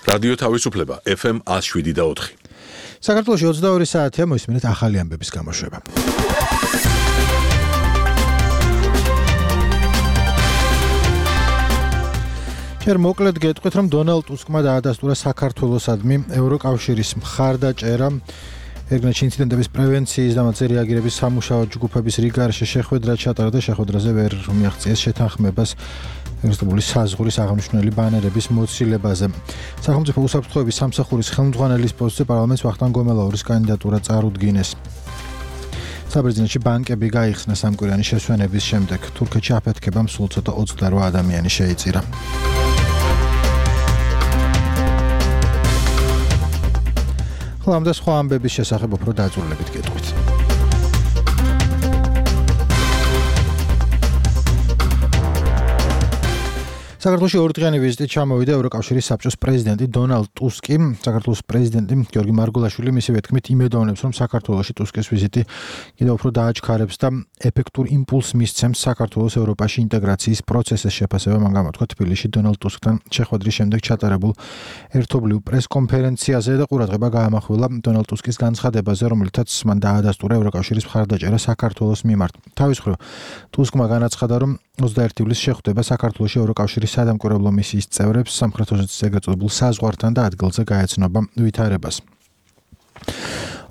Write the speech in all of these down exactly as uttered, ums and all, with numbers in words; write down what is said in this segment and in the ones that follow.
რადიო თავისუფლება ეფ ემ one oh seven და four. საქართველოში ოცდაორი საათია, მოისმინეთ ახალი ამბების გამოშვება. ჯერ მოკლედ გეტყვით, რომ დონალდ ტუსკმა დაადასტურა საქართველოსადმი ევროკავშირის მხარდაჭერა ეგრეთ ინციდენტების პრევენციის და მათზე რეაგირების სამუშაო ჯგუფების რიგარში შეხვედრა ჩატარა და შეხვედრაზე ვერ მიაღწიეს შეთანხმებას ეროვნული საზღვრის აღნიშნული ბანერების მოცილებაზე. სახელმწიფო უსაფრთხოების სამსახურის ხელმძღვანელის პოსტზე პარლამენტს ვახტანგ გომელაურის კანდიდატურა წარუდგინეს. საბერძნეთში ბანკები გაიხსნა სამკვირიანი შესვენების შემდეგ. თურქეთში აფეთქებამ სულ ცოტა ოცდაორი ადამიანი შეიწირა. ამ და სხვა ამბების შესახებ უფრო დაწვრილებით გეტყვით. საქართველოში ორდღიანი ვიზიტით ჩამოვიდა ევროკავშირის საბჭოს პრეზიდენტი დონალდ ტუსკი. საქართველოს პრეზიდენტი გიორგი მარგულაშვილი მისივე თქმით იმედოვნებს, რომ საქართველოში ტუსკის ვიზიტი კიდევ უფრო დააჩქარებს და ეფექტურ იმპულსს მისცემს საქართველოს ევროპაში ინტეგრაციის პროცესის შეფასება. მან გამოთქვა თბილისში დონალდ ტუსკთან შეხვედრის შემდეგ ჩატარებულ ერთობლივ პრესკონფერენციაზე და ყურადღება გაამახვილა დონალდ ტუსკის განცხადებაზე, რომელთაც მან დაადასტურა ევროკავშირის მხარდაჭერა საქართველოს მიმართ. თავის მხრივ ტუსკმა განაცხადა, რომ ოცდაერთი ივლისს შეხვდება საქართველოში ევროკავშირის სადამკვირვებლო მისიის წევრებს სამხრეთ ოსეთის ეგრეთ წოდებულ საზღვართან და ადგილზე გაეცნობა ვითარებას.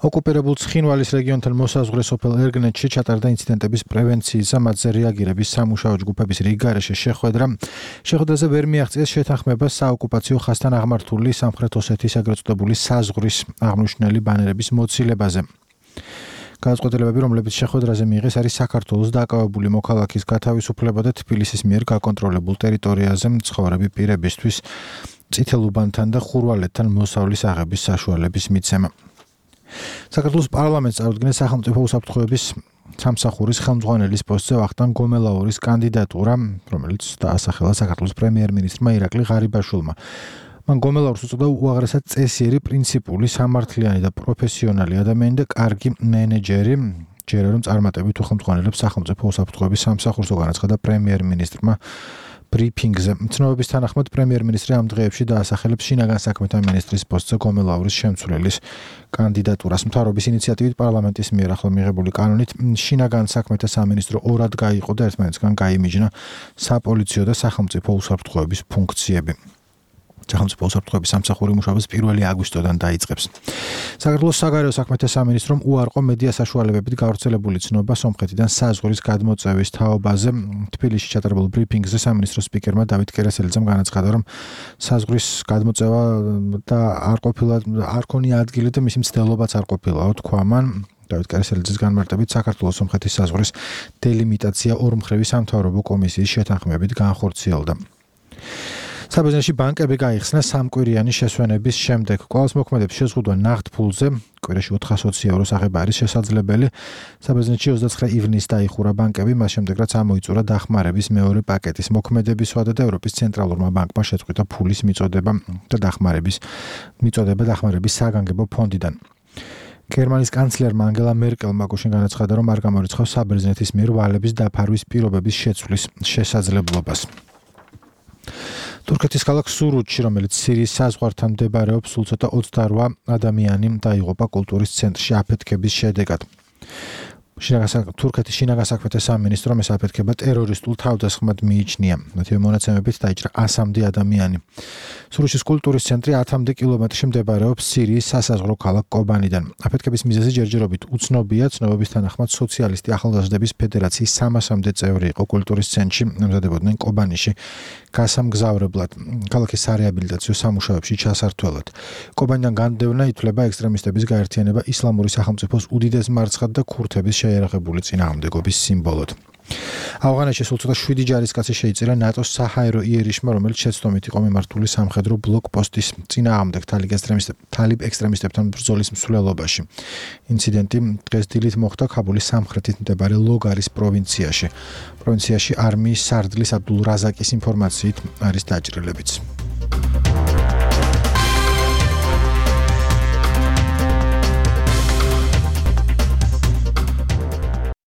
ოკუპირებულ ცხინვალის რეგიონთან მოსაზღვრე სოფელ ერგნეთში ჩატარდა ინციდენტების პრევენციის და მათზე რეაგირების სამუშაო ჯგუფების რიგგარეშე შეხვედრა. შეხვედრაზე ვერ მიაღწიეს შეთანხმება საოკუპაციო ხაზთან აღმართული სამხრეთ ოსეთის ეგრეთ წოდებული საზღვრის აღნიშნული ბანერების მოცილებაზე. განწყობილებები, რომლებიც შეხვედრაზე მიიღეს, არის საქართველოს დაკავებული მოქალაქის გათავისუფლება და თბილისის მიერ გაკონტროლებულ ტერიტორიაზე მცხოვრები პირებისთვის წითელ უბანთან და ხურვალეთთან მოსავლის აღების საშუალების მიცემა. საქართველოს პარლამენტს წარუდგინეს სახელმწიფო უსაფრთხოების სამსახურის ხელმძღვანელის პოსტზე ვახტანგ გომელაურის კანდიდატურა, რომელიც დაასახელა საქართველოს პრემიერ-მინისტრმა ირაკლი ღარიბაშვილმა. მან გომელაურს უწოდა უაღრესად წესიერი, პრინციპული, სამართლიანი და პროფესიონალი ადამიანი და კარგი მენეჯერი. ჯერა რომ წარმატებით უხელმძღვანელებს სახელმწიფო უსაფრთხოების სამსახურს, განაცხადა პრემიერ-მინისტრმა ბრიფინგზე. ცნობების თანახმად პრემიერ-მინისტრი ამ დღეებში დაასახელებს შინაგან საქმეთა მინისტრის პოსტზე გომელაურის შემცვლელის კანდიდატურას. მთავრობის ინიციატივით პარლამენტის მიერ ახლა მიღებული კანონით შინაგან საქმეთა სამინისტრო ორად გაიყო და ერთმანეთისგან გაიმიჯნა საპოლიციო და სახელმწიფო უსაფრთხოების ფუნქციები. სახელმწიფო უსაფრთხოების სამსახური მუშაობას პირველი აგვისტოდან დაიწყებს. საქართველოს საგარეო საქმეთა სამინისტრომ უარყო მედია საშუალებებით გავრცელებული ცნობა სომხეთიდან საზღვრის გადმოწევის თაობაზე. თბილისში ჩატარებულ ბრიფინგზე სამინისტროს სპიკერმა დავით კერესელიძემ განაცხადა, რომ საზღვრის გადმოწევა და არ ყოფილა არ ქონია ადგილი და მისი მცდელობაც არ ყოფილაო, თქვა მან. დავით კერესელიძის განმარტებით საქართველოს სომხეთის საზღვრის დელიმიტაცია ორმხრივი სამთავრობო კომისიის შეთანხმებით განხორციელდა. საბერძნეთში ბანკები გაიხსნა სამკვირიანი შესვენების შემდეგ. კვლავ მოქმედებს შეზღუდვა ნაღდ ფულზე, კვირაში ოთხასი ევროს აღება არის შესაძლებელი. საბერძნეთში ოცდაცხრე ივნისს დაიხურა ბანკები, მას შემდეგ რაც ამოიწურა დახმარების მეორე პაკეტის მოქმედების ვადა და ევროპის ცენტრალურმა ბანკმა შეწყვიტა ფულის მიწოდება და დახმარების მიწოდება დახმარების საგანგებო ფონდიდან. გერმანიის კანცლერმა ანგელა მერკელმა გუშინ განაცხადა, რომ არ გამორიცხავს საბერძნეთის მიერ ვალების დაფარვის პირობების შეცვლის შესაძლებლობას. თურქეთის ქალაქ სურუთში, რომელიც სირიის საზღვართან მდებარეობს, სულ ცოტა ოცდაორი ადამიანი დაიღუპა კულტურის ცენტრში აფეთქების შედეგად. თურქეთის შინაგან საქმეთა სამინისტრომ ეს აფეთქება ტერორისტულ თავდასხმად მიიჩნია. მათივე მონაცემებით დაიჭრა ასამდე ადამიანი. სურუთის კულტურის ცენტრი ათამდე კილომეტრში მდებარეობს სირიის სასაზღვრო ქალაქ კობანიდან. აფეთქების მიზეზი ჯერჯერობით უცნობია. ცნობების თანახმად სოციალისტი ახალგაზრდების ფედერაციის სამასამდე წევრი იყო კულტურის ცენტრში, ემზადებოდნენ კობანიში გასამგზავრებლად, ქალაქის სარეაბილიტაციო სამუშაოებში ჩასართველად. კობანიდან განდევნა ითვლება ექსტრემისტების გაერთიანება ისლამური სახელმწიფოს უდიდეს მარცხად და ქურთების შეიარაღებული წინააღმდეგობის სიმბოლოდ. ავღანეთში სულ ცოტა შვიდი ჯარისკაცი შეიწირა ნატოს საჰაერო იერიშმა, რომელიც შეცდომით იყო მიმართული სამხედრო ბლოკპოსტის წინააღმდეგ თალიბ ექსტრემისტებთან ბრძოლის მსვლელობაში. ინციდენტი დღეს დილით მოხდა ქაბულის სამხრეთით მდებარე ლოგარის პროვინციაში. პროვინციაში არმიის სარდლის აბდულ რაზაკის ინფორმაციით არის დაჭრილებიც.